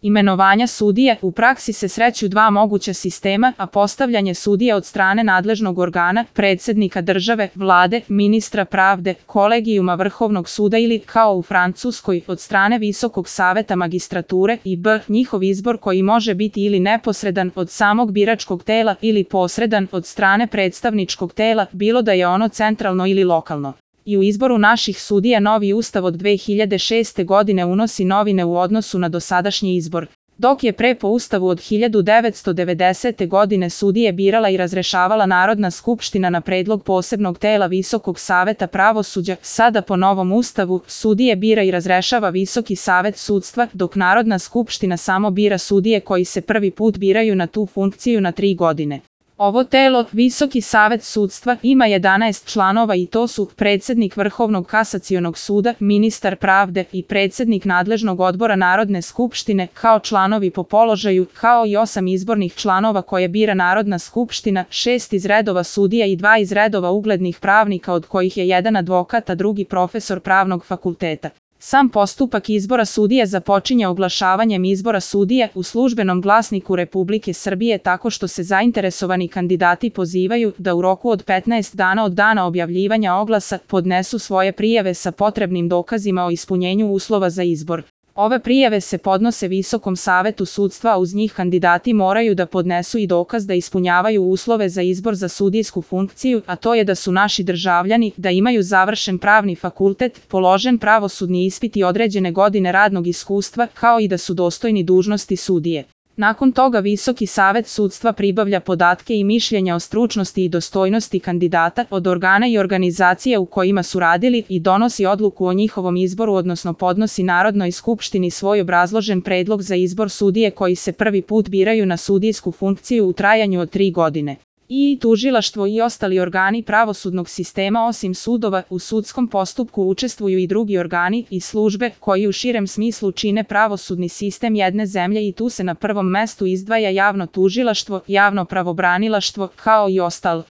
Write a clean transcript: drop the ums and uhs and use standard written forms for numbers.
Imenovanja sudije u praksi se sreću dva moguća sistema, a postavljanje sudije od strane nadležnog organa, predsednika države, vlade, ministra pravde, kolegijuma Vrhovnog suda ili, kao u Francuskoj, od strane Visokog saveta magistrature i njihov izbor koji može biti ili neposredan od samog biračkog tela ili posredan od strane predstavničkog tela, bilo da je ono centralno ili lokalno. I u izboru naših sudija novi ustav od 2006. godine unosi novine u odnosu na dosadašnji izbor. Dok je pre po ustavu od 1990. godine sudije birala i razrešavala Narodna skupština na predlog posebnog tela Visokog saveta pravosuđa, sada po novom ustavu sudije bira i razrešava Visoki savet sudstva, dok Narodna skupština samo bira sudije koji se prvi put biraju na tu funkciju na 3 godine. Ovo telo, Visoki savet sudstva, ima 11 članova i to su predsednik Vrhovnog kasacionog suda, ministar pravde i predsednik nadležnog odbora Narodne skupštine kao članovi po položaju, kao i 8 izbornih članova koje bira Narodna skupština, 6 iz redova sudija i 2 iz redova uglednih pravnika od kojih je jedan advokat a drugi profesor pravnog fakulteta. Sam postupak izbora sudije započinje oglašavanjem izbora sudije u Službenom glasniku Republike Srbije tako što se zainteresovani kandidati pozivaju da u roku od 15 dana od dana objavljivanja oglasa podnesu svoje prijave sa potrebnim dokazima o ispunjenju uslova za izbor. Ove prijave se podnose Visokom savetu sudstva, a uz njih kandidati moraju da podnesu i dokaz da ispunjavaju uslove za izbor za sudijsku funkciju, a to je da su naši državljani, da imaju završen pravni fakultet, položen pravosudni ispit i određene godine radnog iskustva, kao i da su dostojni dužnosti sudije. Nakon toga Visoki savet sudstva pribavlja podatke i mišljenja o stručnosti i dostojnosti kandidata od organa i organizacija u kojima su radili i donosi odluku o njihovom izboru, odnosno podnosi Narodnoj skupštini svoj obrazložen predlog za izbor sudije koji se prvi put biraju na sudijsku funkciju u trajanju od 3 godine. I tužilaštvo i ostali organi pravosudnog sistema osim sudova u sudskom postupku učestvuju i drugi organi i službe koji u širem smislu čine pravosudni sistem jedne zemlje i tu se na prvom mestu izdvaja javno tužilaštvo, javno pravobranilaštvo, kao i ostalo.